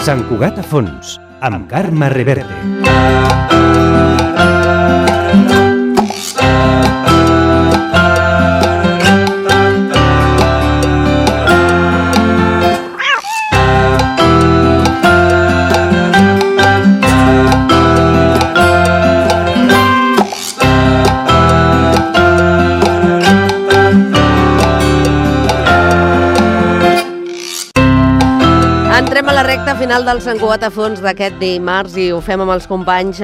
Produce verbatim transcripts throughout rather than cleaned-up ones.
Sant Cugat a fons, amb Carme Reverte. Entrem a la recta final del Sant Cugat a fons d'aquest dimarts i ho fem amb els companys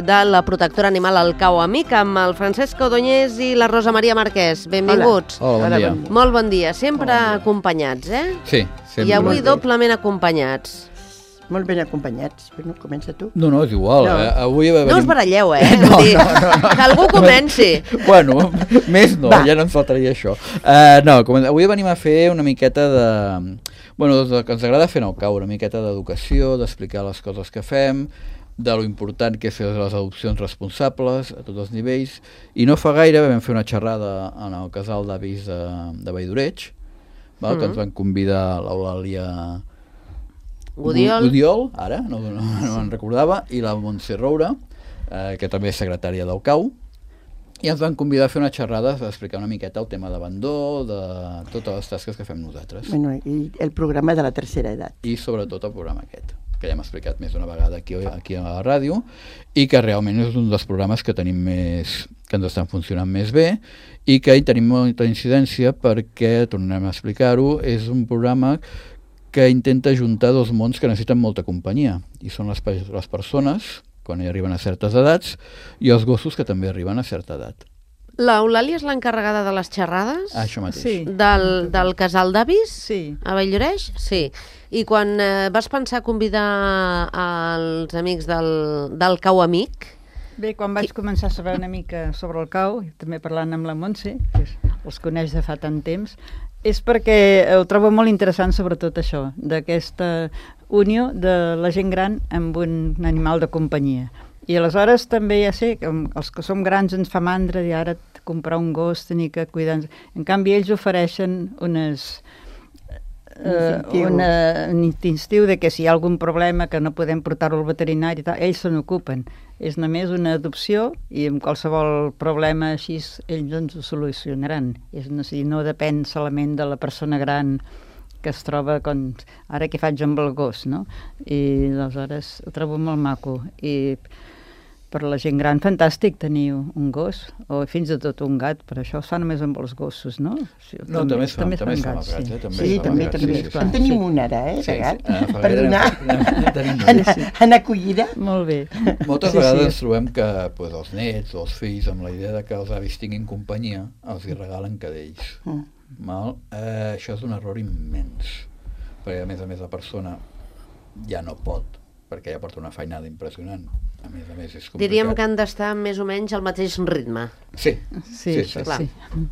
de la protectora animal El Cau Amic, amb el Francesc Ordóñez i la Rosa Maria Marquès. Benvinguts. Hola, bon dia. Molt bon dia. Sempre acompanyats, eh? Sí, sempre. I avui doblement acompanyats. Molt ben acompanyats, però no comença tu. No, no, és igual. No. Eh? Avui venim... No us baralleu, eh? No, Vull dir, no, no, no. Que algú comenci. Bueno, més no, Va. ja no ens faltaria això. Uh, no, com... avui venim a fer una miqueta de... Bueno, del que ens agrada fer en el Cau, una miqueta d'educació, d'explicar les coses que fem, de lo important que és fer les adopcions responsables a tots els nivells, i no fa gaire vam fer una xerrada en el casal d'avis de, de Valldoreig, val? Mm. que ens van convidar l'Eulàlia Gudiol. Gudiol, ara, no, no, no me'n recordava, i la Montse Roura, eh, que també és secretària del Cau, i ens van convidar a fer una xerrada per explicar una miqueta el tema d'abandó, de totes les tasques que fem nosaltres. Bueno, i el programa de la tercera edat. I sobretot el programa aquest, que ja hem explicat més d'una vegada aquí, aquí a la ràdio, i que realment és un dels programes que tenim més, que ens estan funcionant més bé, i que hi tenim molta incidència perquè, tornem a explicar-ho, és un programa que intenta ajuntar dos mons que necessiten molta companyia, i són les, les persones, quan hi arriben a certes edats, i els gossos que també arriben a certa edat. L'Eulàlia és l'encarregada de les xerrades? Ah, això mateix. Sí. Del, del casal d'avis? Sí. A Valldoreig? Sí. I quan eh, vas pensar convidar els amics del, del Cau Amic? Bé, quan vaig començar a saber una mica sobre el Cau, i també parlant amb la Montse, que els coneix de fa tant temps, és perquè ho trobo molt interessant sobretot això, d'aquesta unió de la gent gran amb un animal de companyia. I aleshores també ja sé que els que som grans ens fa mandra i ara comprar un gos, tenir que cuidar... En canvi, ells ofereixen unes... Uh, una, un instintiu de que si hi ha algun problema que no podem portar-ho al veterinari, tal, ells se n'ocupen. És només una adopció i amb qualsevol problema així ells ens ho solucionaran. És, no, si no depèn solament de la persona gran que es troba com ara què faig amb el gos, no? I aleshores ho trobo molt maco. I per la gent gran, fantàstic tenir un gos, o fins i tot un gat, però això es fa només amb els gossos, no? Sí, No, també es fa, també es fa amb els gats, gats, eh? També Sí, es fa amb també, els gats, també. sí, sí, sí. En tenim un ara, eh, Sí, de gat, sí. Ah, fa per gaire donar en- en- tenim en, un, sí. en acollida. Molt bé. Moltes Sí, vegades sí. ens trobem que pues, els nets o els fills, amb la idea de que els avis tinguin companyia, els hi regalen cadells. Mm. Mal? Eh, això és un error immens, perquè a més a més la persona ja no pot, perquè ja porta una feinada impressionant. A més a més és complicat. Diríem que han d'estar més o menys al mateix ritme. Sí, Sí, sí, això sí. clar. sí.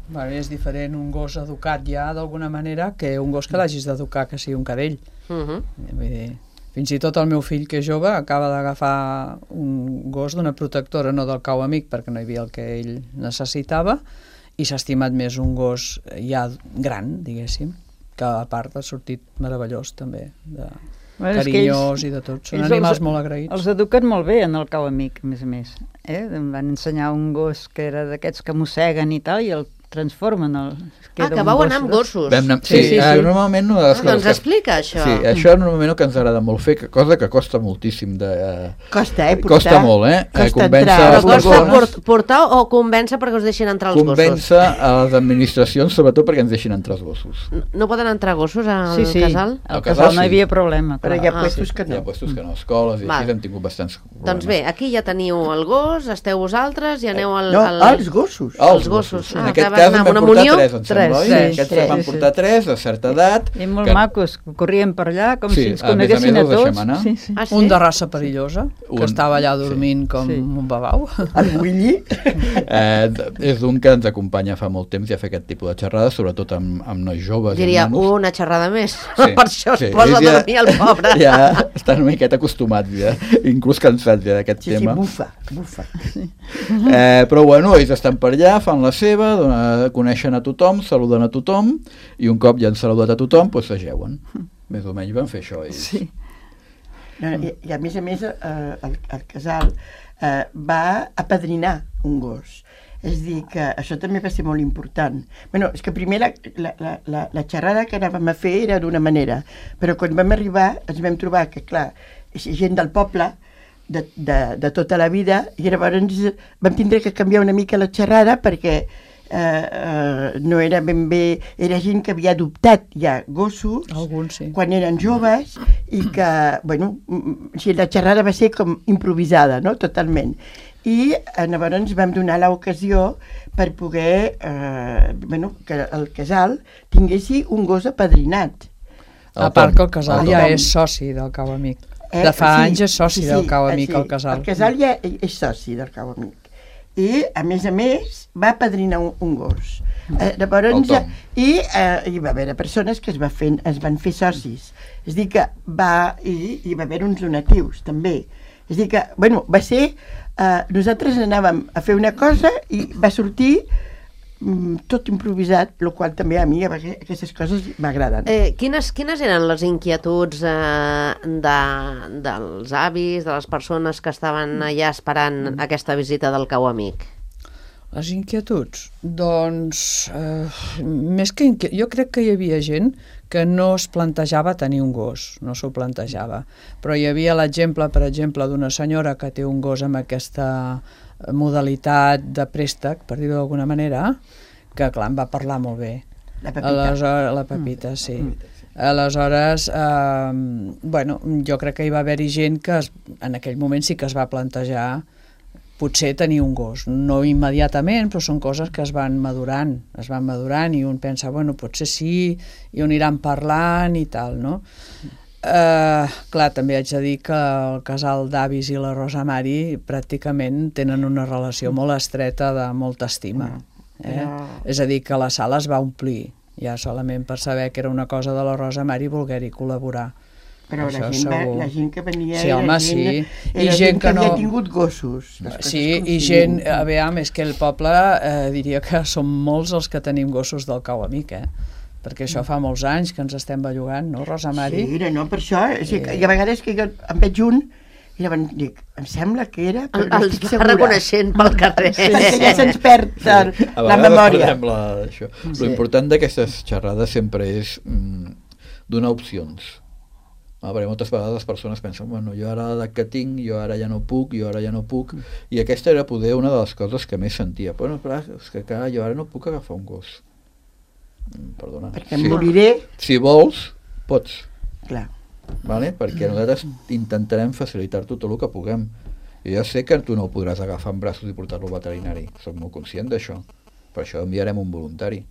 Bueno, és diferent un gos educat ja d'alguna manera que un gos que l'hagis d'educar que sigui un cadell. Uh -huh. Vull dir, fins i tot el meu fill, que és jove, acaba d'agafar un gos d'una protectora, no del Cau Amic, perquè no hi havia el que ell necessitava, i s'ha estimat més un gos ja gran, diguéssim, que a part ha sortit meravellós també, de Bueno, és que carinyós ells- i de tot. Són ells animals els- molt agraïts. Els eduquen molt bé en el Cau Amic, a més a més. Eh? Em van ensenyar un gos que era d'aquests que mosseguen i tal, i el transformen. El, Ah, que vau anar amb gossos. Vam anar... Sí, Sí, sí, eh, sí. normalment una de les Ah, coses doncs que... explica això. Sí, això és normalment el que ens agrada molt fer, que cosa que costa moltíssim de... Eh, Costa, eh, portar. Costa molt, eh? Costa eh, convèncer entrar. Però les costa persones, port portar o convèncer perquè us deixin entrar els gossos? convèncer a les administracions, sobretot perquè ens deixin entrar els gossos. No- No poden entrar gossos al Sí, sí, casal? al Al casal casal no hi sí. havia problema. Però clar. hi ha Ah. puestos que Hi ha no. puestos que no, escoles i Val. així hem tingut bastants problemes. Doncs bé, aquí ja teniu el gos, esteu vosaltres i aneu al... No, al... els gossos. Els gossos. En Ah, aquest que vas cas anar en amb vam una portar munió? tres, em sembla, Tres, oi? sí, Aquests tres. van Sí, portar tres de certa edat. I molt que- macos, corrien per allà com Sí, si ens a més a més coneguessin a, els deixem tots. anar. Sí, sí. Ah, sí? Un de raça perillosa, Un- que estava allà dormint com Sí. un babau. El Willy. Eh, és un que ens acompanya fa molt temps i a fer aquest tipus de xerrades, sobretot amb, amb nois joves. Diria, i nanos. una xerrada més. Sí, Per això es sí, posa a ells ja- dormir el pobre. Ja estan una miqueta acostumats, ja, inclús cansats ja d'aquest Sí, sí, tema. bufa, bufa. Eh, però bueno, ells estan per allà, fan la seva, dona, coneixen a tothom, saluden a tothom, i un cop ja han saludat a tothom, doncs s'ajeuen. Més o menys van fer això ells. Sí. No, i, I a més a més, eh, el, el casal eh, va apadrinar un gos. És dir, que això també va ser molt important. Bueno, és que primer la, la, la, la xerrada que anàvem a fer era d'una manera, però quan vam arribar ens vam trobar que, clar, gent del poble, de, de, de tota la vida, i llavors vam tindre que canviar una mica la xerrada perquè eh, eh, no era ben bé... Era gent que havia adoptat ja gossos Alguns, sí. quan eren joves i que, bueno, si la xerrada va ser com improvisada, no?, totalment. I eh, llavors vam donar l'ocasió per poder, eh, bueno, que el casal tinguessi un gos apadrinat. A part que el casal el ja Tom. és soci del Cau Amic. Eh, De fa sí, anys és soci sí, del Cau sí, Amic, sí. el casal. El casal ja és soci del Cau Amic. I, a més a més, va apadrinar un, un gos. Eh, llavors, El Tom. i eh, hi va haver persones que es, va fer, es van fer socis. És a dir, que va, i hi va haver uns donatius, també. És a dir, que, bueno, va ser... Eh, nosaltres anàvem a fer una cosa i va sortir mm, tot improvisat, el qual també a mi aquestes coses m'agraden. Eh, quines, quines eren les inquietuds eh, de, dels avis, de les persones que estaven allà esperant aquesta visita del Cau Amic? Les inquietuds? Doncs, eh, més que inquiet... jo crec que hi havia gent que no es plantejava tenir un gos, no s'ho plantejava. Però hi havia l'exemple, per exemple, d'una senyora que té un gos amb aquesta modalitat de préstec, per dir-ho d'alguna manera, que, clar, em va parlar molt bé. La Pepita. Aleshores, la Pepita, sí. Aleshores, eh, bueno, jo crec que hi va haver-hi gent que es, en aquell moment sí que es va plantejar potser tenir un gos, no immediatament, però són coses que es van madurant, es van madurant i un pensa, bueno, potser sí, i on aniran parlant i tal, no? Uh, clar, també haig de dir que el casal d'avis i la Rosa Mari pràcticament tenen una relació molt estreta de molta estima. Eh? Però- És a dir, que la sala es va omplir, ja solament per saber que era una cosa de la Rosa Mari voler-hi col·laborar. Però la Això gent, va, segur. la gent que venia Sí, era home, gent, sí. era I gent, gent que que havia no- tingut gossos. les coses Sí, com i siguin. gent, a veure, és que el poble eh, diria que som molts els que tenim gossos del Cau Amic, eh? Perquè això fa molts anys que ens estem bellugant, no, Rosa Mari? Sí, no, per això, o sigui, que, i a vegades que jo en veig un i llavors dic, em sembla que era, però no Els estic va segura. reconeixent pel carrer. Perquè ja se'ns perd el, A la vegades memòria. perdem La, això. Sí. L'important d'aquestes xerrades sempre és mm, donar opcions. Ah, perquè moltes vegades les persones pensen, bueno, jo ara l'edat que tinc, jo ara ja no puc, jo ara ja no puc, i aquesta era poder una de les coses que més sentia. Bueno, clar, és que clar, jo ara no puc agafar un gos. Mm, Perdona. Perquè em moriré, Si vols, pots. clar. Vale? Perquè nosaltres intentarem facilitar-te tot el que puguem. I ja sé que tu no ho podràs agafar en braços i portar-lo al veterinari, soc molt conscient d'això. Per això enviarem un voluntari.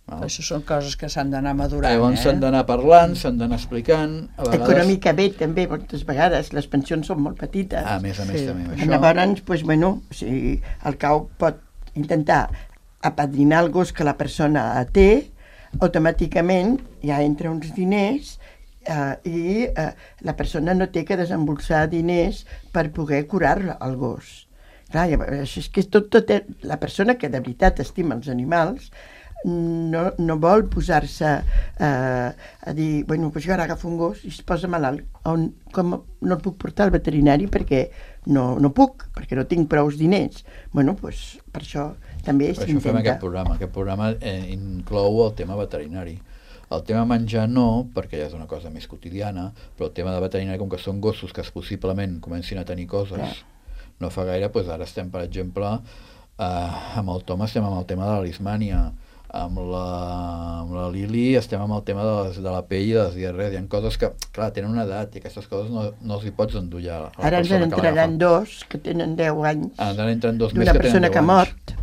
Val? Això són coses que s'han d'anar madurant, Llavors s'han eh? d'anar parlant, s'han d'anar explicant. A vegades... Econòmicament també, moltes vegades, les pensions són molt petites. Ah, a més a més Sí. també amb I això. llavors, doncs, bueno, o sigui, el cau pot intentar apadrinar el gos que la persona té, automàticament ja entra uns diners eh, i eh, la persona no té que desembolsar diners per poder curar el gos. Clar, llavors, és que és tot, tot, la persona que de veritat estima els animals no, no vol posar-se eh, a dir, bueno, doncs jo ara agafo un gos i es posa malalt. On, com no el puc portar al veterinari perquè no, no puc, perquè no tinc prous diners. Bueno, doncs per això també Per això fem s'intenta. aquest programa. Aquest programa eh, inclou el tema veterinari. El tema menjar no, perquè ja és una cosa més quotidiana, però el tema de veterinari, com que són gossos que possiblement comencin a tenir coses, Clar. no fa gaire, doncs ara estem, per exemple, eh, amb el Tom estem amb el tema de la lismània, amb la, amb la Lili estem amb el tema de, les, de la pell i de les diarrees. Hi ha coses que, clar, tenen una edat i aquestes coses no, no els hi pots endollar a la Ara ens persona en que entraran l'agafa. dos que tenen deu anys Ah, ara entren dos més d'una que tenen persona deu que ha anys. mort.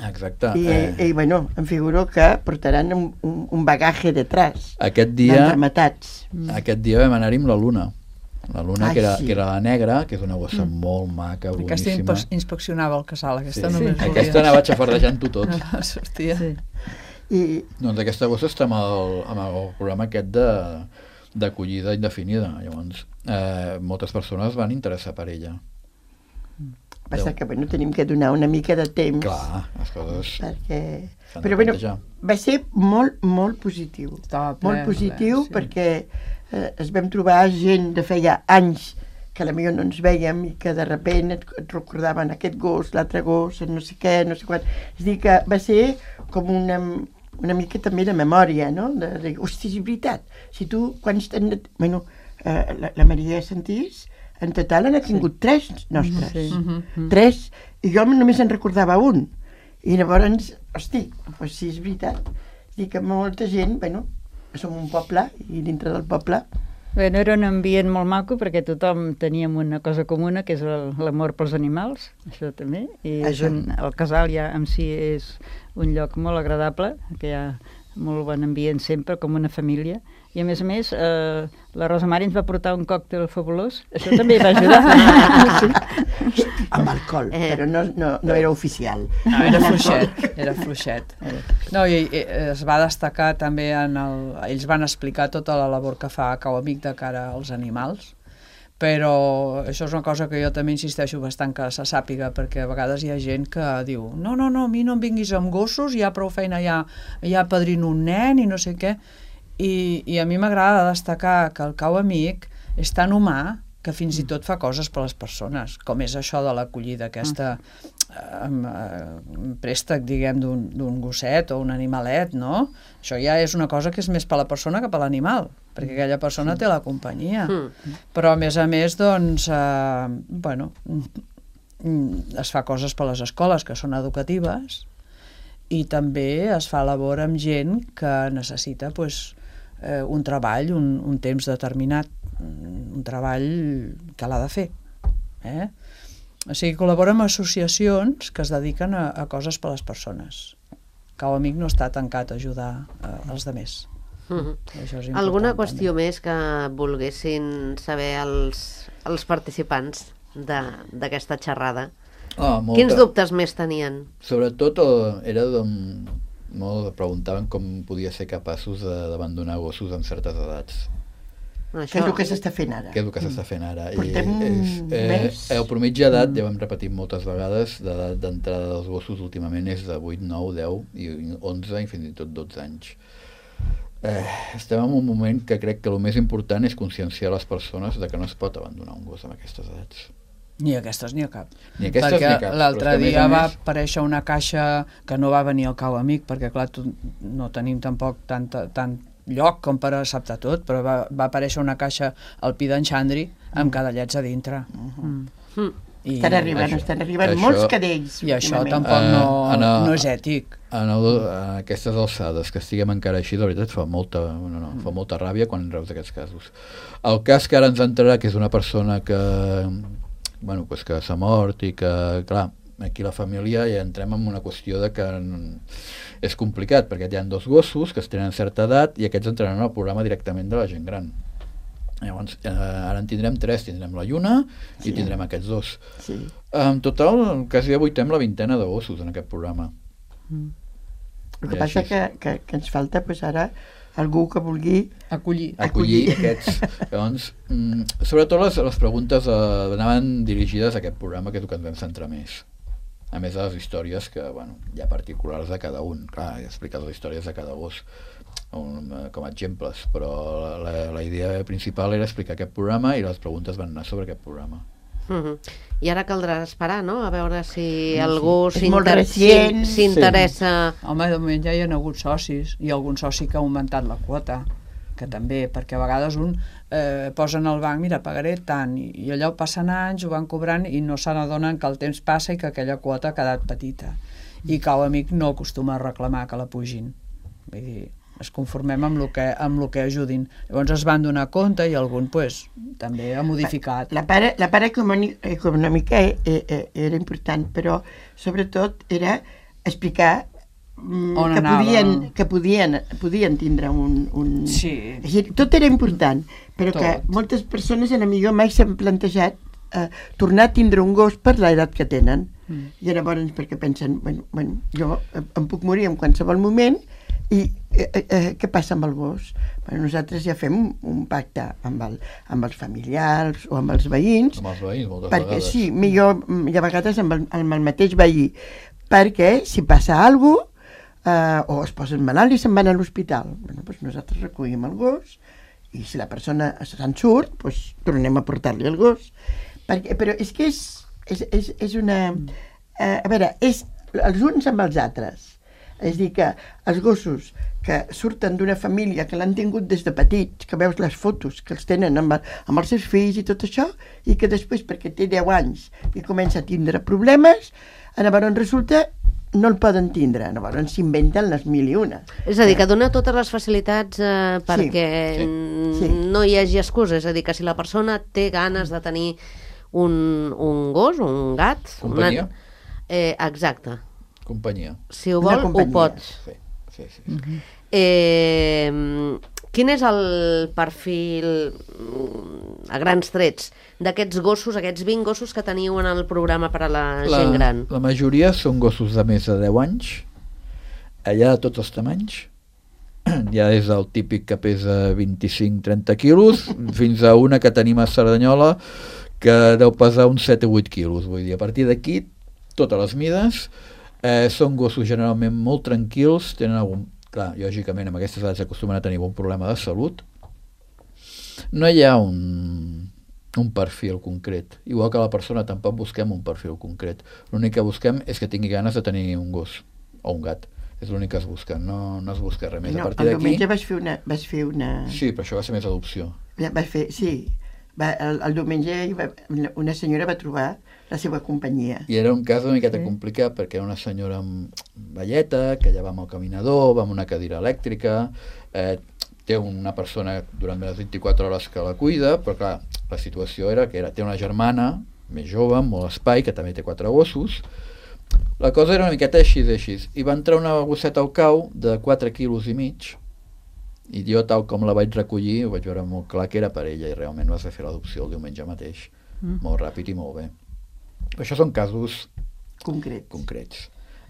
Exacte. I, eh, i bueno, em figuro que portaran un, un, un bagaje detrás aquest dia d'enrematats. Aquest dia vam anar-hi amb la Luna. La Luna, Ai, que, era, sí. que era la negra, que és una gossa mm. molt maca, Aquesta boníssima. inspe- inspeccionava el casal, aquesta Sí. només volia. Aquesta anava xafardejant-ho tot. Sortia. Sí. I Doncs aquesta gossa està amb el, amb el programa aquest de d'acollida indefinida. Llavors, eh, moltes persones van interessar per ella. Passa que, bueno, tenim que donar una mica de temps. Clar, les coses... Perquè... s'han de Però, bueno, plantejar. va ser molt, molt positiu. Estava ple, molt positiu, ple, sí. perquè eh, es vam trobar gent de feia anys que potser no ens vèiem i que de repent et, et recordaven aquest gos, l'altre gos, no sé què, no sé quant. És a dir, que va ser com una, una mica també de memòria, no? De, de, hosti, és veritat. Si tu, quants... Bueno, eh, la, la Maria Santís, en total n'ha tingut sí. tres nostres. Sí. Mm-hmm. Tres, i jo només en recordava un. I llavors, hosti, doncs sí, és veritat. És dir, que molta gent, bueno, som un poble, i dintre del poble... Bueno, era un ambient molt maco perquè tothom teníem una cosa comuna, que és el- l'amor pels animals, això també, i és Això. un, el casal ja en si és un lloc molt agradable, que hi ha molt bon ambient sempre, com una família, i a més a més eh, la Rosa Mari ens va portar un còctel fabulós, això també va ajudar. Amb alcohol, Eh. però no, no, no era oficial. No, era fluixet, era fluixet. No, i, i es va destacar també en el... Ells van explicar tota la labor que fa Cau Amic de cara als animals, però això és una cosa que jo també insisteixo bastant que se sàpiga, perquè a vegades hi ha gent que diu no, no, no, a mi no em vinguis amb gossos, hi ha prou feina, ja, ja padrino un nen i no sé què. I, i a mi m'agrada destacar que el Cau Amic és tan humà que fins i tot fa coses per les persones, com és això de l'acollida, aquesta eh, eh, préstec, diguem, d'un d'un gosset o un animalet, no? Això ja és una cosa que és més per la persona que per l'animal, perquè aquella persona té la companyia. Mm. Però, a més a més, doncs, eh, bueno, mm, es fa coses per les escoles que són educatives i també es fa labor amb gent que necessita, pues, eh, un treball, un, un temps determinat, un treball que l'ha de fer. Eh? O sigui, col·labora amb associacions que es dediquen a, a coses per a les persones. Cau Amic no està tancat a ajudar eh, els demés. Mhm. Això és important, Alguna també. qüestió més que volguessin saber els, els participants de- d'aquesta xerrada? Ah, molta. Quins dubtes més tenien? Sobretot eh, era de, molt preguntaven com podia ser capaços de- d'abandonar gossos en certes edats. Bueno, Que és el que s'està fent ara. Què és el que s'està fent ara? Portem I, és, un eh, mes. el promitja d'edat, ja ho hem repetit moltes vegades, d'edat d'entrada dels gossos últimament és de vuit, nou, deu, i onze i fins i tot dotze anys. Eh, estem en un moment que crec que el més important és conscienciar les persones de que no es pot abandonar un gos en aquestes edats. Ni aquestes ni a cap. Ni aquestes perquè ni a cap, l'altre però és que, a més dia a va més- aparèixer una caixa que no va venir al Cau Amic, perquè clar, tu, no tenim tampoc tanta, tant lloc com per acceptar tot, però va, va aparèixer una caixa al Pi d'en Xandri amb cadellets a dintre. Mm. I, Estan arribant, això- estan arribant això- molts cadells. I això últimament. tampoc Eh, no, en el- no és ètic. En, el, en aquestes alçades que estiguem encara així, la veritat fa molta, no, no, fa molta ràbia quan reus aquests casos. El cas que ara ens entrarà, que és una persona que, bueno, pues que s'ha mort i que, clar, aquí la família ja entrem en una qüestió de que és complicat, perquè hi ha dos gossos que es tenen certa edat i aquests entraran al programa directament de la gent gran. Llavors, eh, ara en tindrem tres, tindrem la Lluna i Sí. tindrem aquests dos. Sí. En total, quasi avuitem la vintena de gossos en aquest programa. El que I passa així. que, que, que ens falta pues, ara algú que vulgui... Acollir. acollir Acollir. aquests. Llavors, mm, sobretot les, les preguntes eh, anaven dirigides a aquest programa, que és el que ens vam centrar més. A més de les històries que, bueno, hi ha particulars de cada un. Clar, he explicat les històries de cada gos un, eh, com a exemples, però la, la, la idea principal era explicar aquest programa i les preguntes van anar sobre aquest programa. Mhm. I ara caldrà esperar, no?, a veure si algú És molt s'inter- recient. s'in- s'interessa... Home, de moment ja hi ha hagut socis, i algun soci que ha augmentat la quota, que també, perquè a vegades un eh, posa en el banc, mira, pagaré tant, i, i allò passen anys, ho van cobrant i no se n'adonen que el temps passa i que aquella quota ha quedat petita. I Cau Amic no acostuma a reclamar que la pugin. Vull dir, es conformem amb el que, amb el que ajudin. Llavors es van donar compte i algun pues, també ha modificat. La part, la part econòmica, econòmica eh, eh, era important, però sobretot era explicar mm, On que, anava. podien, que podien, podien tindre un... un... Sí. És a dir, tot era important, però Tot. que moltes persones en millor mai s'han plantejat eh, tornar a tindre un gos per l'edat que tenen. Mm. I llavors perquè pensen, bueno, bueno, jo em puc morir en qualsevol moment I eh, eh, què passa amb el gos? Bueno, nosaltres ja fem un, un pacte amb, el, amb els familiars o amb els veïns. Amb els veïns, moltes perquè, vegades. Sí, millor, i a vegades amb el, amb el mateix veí. Perquè si passa alguna cosa, eh, o es posen malalt i se'n van a l'hospital, bueno, doncs nosaltres recollim el gos i si la persona se'n surt, doncs tornem a portar-li el gos. Perquè, però és que és, és, és, és una... Eh, a veure, és els uns amb els altres. És a dir, que els gossos que surten d'una família que l'han tingut des de petits, que veus les fotos que els tenen amb, amb els seus fills i tot això, i que després, perquè té deu anys i comença a tindre problemes, llavors resulta no el poden tindre, llavors s'inventen les mil i una. És a dir, que dona totes les facilitats eh, perquè sí, sí. no hi hagi excusa, és a dir, que si la persona té ganes de tenir un, un gos, un gat... Companyia. Una... Eh, exacte. Companyia. Si ho vol, ho pot. Sí, sí, sí. sí. Uh-huh. Eh, quin és el perfil, a grans trets, d'aquests gossos, aquests vint gossos que teniu en el programa per a la, la gent gran? La majoria són gossos de més de deu anys, allà de tots els tamanys. Ja des del típic que pesa vint-i-cinc a trenta quilos fins a una que tenim a Cerdanyola que deu pesar uns set o vuit quilos. Vull dir, a partir d'aquí, totes les mides, eh, són gossos generalment molt tranquils, tenen algun... Clar, lògicament, amb aquestes edats acostumen a tenir un problema de salut. No hi ha un, un perfil concret. Igual que la persona tampoc busquem un perfil concret. L'únic que busquem és que tingui ganes de tenir un gos o un gat. És l'únic que es busca, no, no es busca res més. No, a partir el d'aquí... diumenge vas fer una... Vas fer una... Sí, però això va ser més adopció. Vas fer, sí. Va, el, el diumenge va, una senyora va trobar la seva companyia. I era un cas una miqueta Sí. complicat perquè era una senyora amb velleta, que ja va amb el caminador, va amb una cadira elèctrica, eh, té una persona durant les vint-i-quatre hores que la cuida, però clar, la situació era que era, té una germana més jove, amb molt espai, que també té quatre gossos. La cosa era una miqueta així així. I va entrar una gosseta al cau de quatre quilos i mig, i jo, tal com la vaig recollir, ho vaig veure molt clar que era per ella, i realment vas fer l'adopció el diumenge mateix. Mm. Molt ràpid i molt bé. Però això són casos Concret. concrets.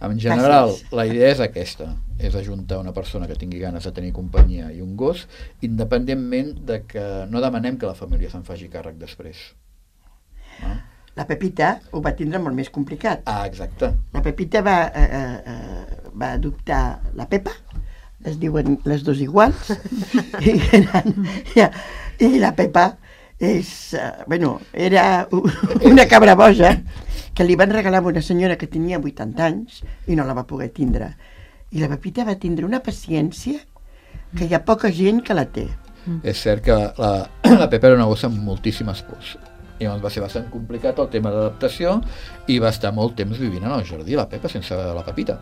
En general, Gràcies. la idea és aquesta, és ajuntar una persona que tingui ganes de tenir companyia i un gos, independentment de que no demanem que la família se'n faci càrrec després. No? La Pepita ho va tindre molt més complicat. Ah, exacte. La Pepita va, eh, eh, va adoptar la Pepa, es diuen les dos iguals, i, eren, ja, i la Pepa és, uh, bueno, era una cabra boja que li van regalar a una senyora que tenia vuitanta anys i no la va poder tindre. I la Pepita va tindre una paciència que hi ha poca gent que la té. Mm. És cert que la, la Pepa era una gossa amb moltíssimes pors. I llavors va ser bastant complicat el tema d'adaptació i va estar molt temps vivint en el jardí, la Pepa, sense la Pepita.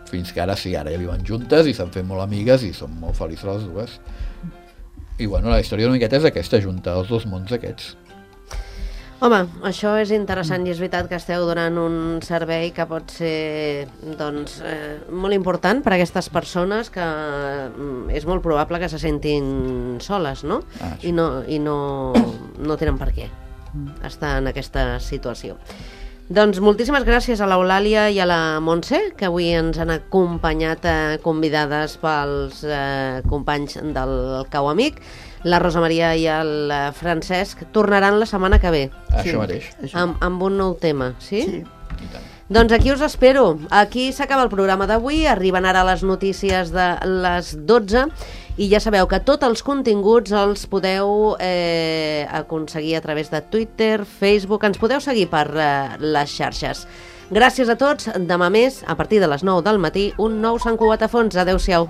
Fins que ara sí, ara ja viuen juntes i s'han fet molt amigues i són molt felices les dues. I bueno, la història una miqueta és aquesta, juntar els dos mons aquests. Home, això és interessant i és veritat que esteu donant un servei que pot ser doncs, eh, molt important per a aquestes persones que mm, és molt probable que se sentin soles, no? Ah, sí. I, no, i no, no tenen per què estar en aquesta situació. Doncs moltíssimes gràcies a l'Eulàlia i a la Montse, que avui ens han acompanyat eh, convidades pels eh, companys del Cau Amic. La Rosa Maria i el Francesc tornaran la setmana que ve. Això Sí, mateix. això. Amb, amb un nou tema, sí? Sí. I tant. Doncs aquí us espero. Aquí s'acaba el programa d'avui, arriben ara les notícies de les dotze i ja sabeu que tots els continguts els podeu eh, aconseguir a través de Twitter, Facebook, ens podeu seguir per eh, les xarxes. Gràcies a tots, demà més, a partir de les nou del matí, un nou Sant Cugat a Fons. Adéu-siau.